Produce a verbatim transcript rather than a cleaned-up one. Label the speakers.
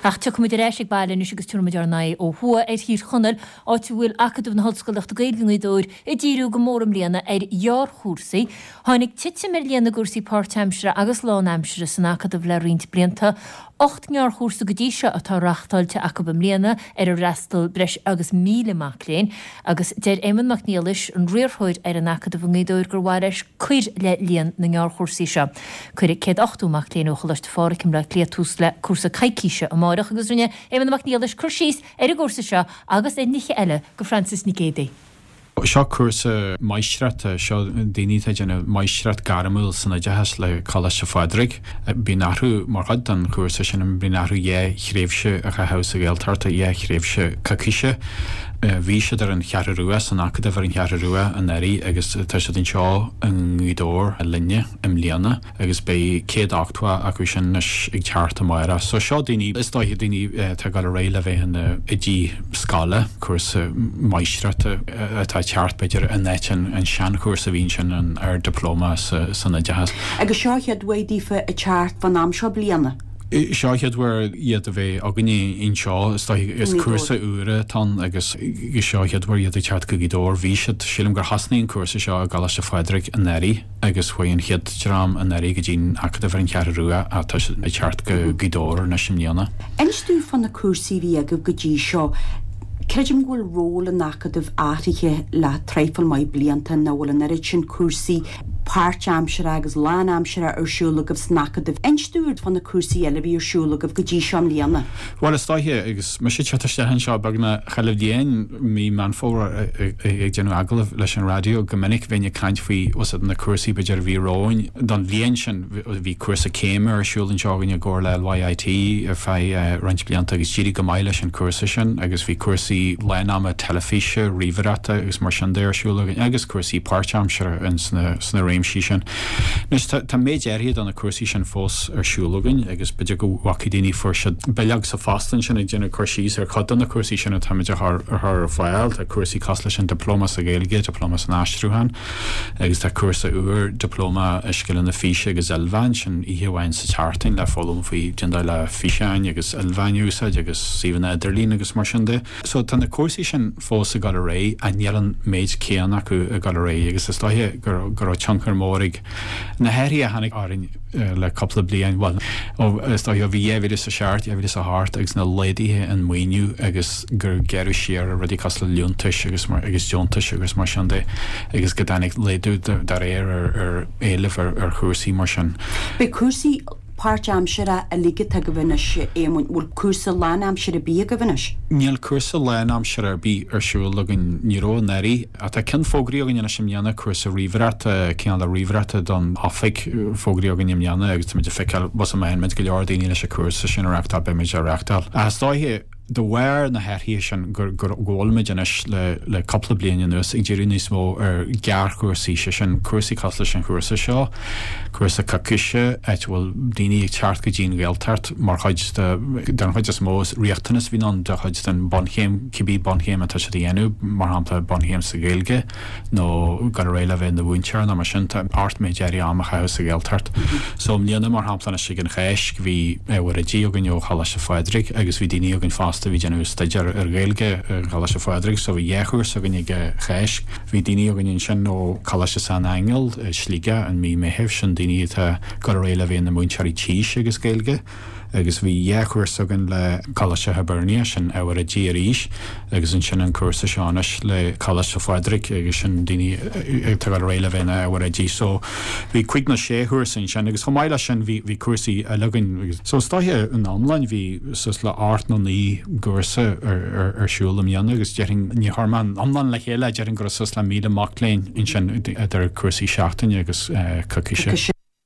Speaker 1: Ach tiocfaimid ar ais ag baile anois agus tabharfaimid ár n-aghaidh ó thuaidh ar Thír Chonaill, áit a bhfuil Acadamh na hOllscolaíochta Gaeilge i nGaoth Dobhair ag díriú go mór i mbliana ar ghearrchúrsaí. Tháinig titim ar líon na gcúrsaí páirtaimseartha agus lánaimseartha san Acadamh le roinnt blianta. Ocht ngearrchúrsa go dtí seo atá reáchtáilte acu i mbliana ar ar fhreastail breis agus míle mac léinn agus deir Éamonn Mac Niallais, an riarthóir ar an Acadamh i nGaoth Dobhair gur mhaith leis cur le líon na ngearrchúrsaí seo. Cuirfidh céad ochtó mac léinn ó Choláiste Phádraig i mBleá Cliath tús le cúrsa coicíse amárach agus rinne Éamonn Mac Niallais cur síos ar an gcúrsa seo agus ar nithe eile go Frances Nic Géadaigh.
Speaker 2: Seo cúrsa máistreachta, seo daoine atá ag déanamh máistreacht gairmiúil san oideachas le Coláiste Phádraig. Bíonn orthu mar chuid den chúrsa sin bíonn orthu dhá thréimhse a chaitheamh sa Ghaeltacht, dhá thréimhse coicíse. Bhí siad ar an Cheathrú Rua san Acadamh ar an Cheathrú Rua anuraidh agus tá siad anseo i nGaoth Dobhair linne i mbliana agus beidh céad ochtó acu sin anois ag teacht amárach. So seo daoine, is dóiche daoine atá ag dul ar aghaidh le bheith ina oidí scoile, cúrsa máistreachta atá ag teacht b'fhéidir in áit an an seanchúrsa a bhí ansin an Ard-Dioplóma san Oideachas.
Speaker 3: Agus seo an chéad uair daofa ag teacht fán am seo bliana.
Speaker 2: Seo an chéad uair iad a bheith againne anseo, is dóiche is cúrsa úr atá ann agus seo an chéad uair iad ag teacht go Gaoth Dobhair. Bhí siad, sílim gur thosnaigh an cúrsa seo i gColáiste Phádraig anuraidh agus chuaigh an chéad dream anuraidh go dtí an Acadamh ar an Cheathrú Rua ach tá siad ag teacht go Gaoth Dobhair anois i mbliana.
Speaker 3: Inis dúinn fá na cúrsaí a bhí agaibh go dtí seo. Creidim go bhfuil ról an Acadaimh athraithe le traidhfil maith blianta nach bhfuil an oiread sin cúrsaí páirtaimseartha agus lánaimseartha ar siúl agaibh san Acadamh. Inis dúinn fá na cúrsaí eile a bhí ar siúl agaibh go dtí seo i mbliana.
Speaker 2: Bhuel, is dóiche, agus mise ag teacht isteach anseo beagnach chuile bhliain, mí Meán Fómhair, ag déanamh agallamh leis an raidió, go minic bheinn ag caint faoi na cúrsaí b'fhéidir a bhí romhainn don bhliain sin. Bhí cúrsa céime ar siúl anseo againn i gcomhar le LYIT ar feadh roinnt blianta agus d'éirigh go maith leis an chúrsa sin agus bhí cúrsaí lán-ama teilifíse, ríomhaireachta agus mar sin de ar siúl againn agus cúrsaí páirtaimseartha ins na sna réimsí sin. Anois tá tá méid áirithe de na cúrsaí sin fós ar siúl againn agus b'fhéidir go bhfacaidh daoine fuair siad bileog sa phost ansin ag déanamh cur síos ar chuid de na cúrsaí sin atáimid a chur a chur ar fáil. Tá cúrsaí cosúil leis an Dioplóma sa Ghaeilge, Dioplóma san Aistriúchán agus tá cúrsa úr Dioplóma i Scileanna Físe agus Ilmheáin, sin oíche amháin sa tseachtain le foghlaim faoi cén dóigh le físeáin agus ilmheáin a úsáid agus suíomhanna idirlín agus mar sin de. So tá na cúrsaí sin fós ag dul ar aghaidh ach níl an méid céanna acu ag dul ar aghaidh agus is dóiche go go raibh tionchar mór ag na hathruithe a tháinig orainn le cúpla bliain, bhuel, ó is dóiche ó bhí dhá mhíle is a seacht, dhá mhíle is a hocht agus na laghduithe in maoiniú agus gur gearradh siar ar rudaí cosúil le liúntais agus mar agus deontais agus mar sin de agus go dtáinig laghdú dá réir ar ar éileamh ar ar chúrsaí mar sin.
Speaker 3: Beidh cúrsaí páirtaimseartha uilig atá agaibh anois, a Éamoinn, bhfuil cúrsa lánaimseartha ar bith agaibh anois?
Speaker 2: Níl cúrsa lánaimseartha ar bith ar siúl againn, ní raibh anuraidh, ach tá ceann fógraithe againn anois i mbliana, cúrsa ríomhaireachta, cineál de ríomhaireachta don oifig, fógraithe againn i mbliana agus táimid ag feiceáil, bhuel, má fhaigheann muid go leor daoine leis an chúrsa sin a reáchtáil, beimid á reáchtáil. Ach is dóiche, de bharr na hathruithe sin go bhfuilimid anois le cúpla bliain anuas ag díriú níos mó ar ghearrchúrsaí, sé sin cúrsaí cosúil leis an chúrsa seo, cúrsa coicíse, áit a bhfuil daoine ag teacht go dtí an Ghaeltacht mar chuid de, den chuid is mó is riachtanas a bhíonn ann de chuid den bunchéim, cibé bunchéim atá siad a dhéanamh, mar shampla bunchéim sa Ghaeilge nó dul ar aghaidh le bheith ina mhúinteoir nó mar sin, tá ort méid áirithe ama a chaitheamh sa Ghaeltacht. So i mbliana mar shampla anois ag an Cháisc bhí ábhar oidí againn ó Choláiste Phádraig agus bhí daoine againn fosta a bhí ag déanamh staidéar ar Ghaeilge i gColáiste Phádraig so bhí dhá chúrsa againn ag an Cháisc. Bhí daoine againn ansin ó Choláiste San Aingeal i Sligeach in mí Meithimh, sin daoine atá ag dul ar aghaidh le bheith ina múinteoirí tís agus Gaeilge agus bhí dhá chúrsa againn le Coláiste Hibernia, sin ábhar oidí arís agus ansin an cúrsa seo anois le Coláiste Phádraig agus sin daoine atá ag dul ar aghaidh le bheith ina ábhar oidí. So bhí cúig nó sé chúrsa ansin agus chomh maith leis sin bhí bhí cúrsaí eile againn agus so is dóiche in iomlán bhí suas le ocht nó naoi gcúrsa ar siúl i mbliana agus déarfainn, ní chuir mé an iomlán le chéile, déarfainn go raibh suas le míle mac léinn ansin idir cúrsaí seachtaine agus coicíse.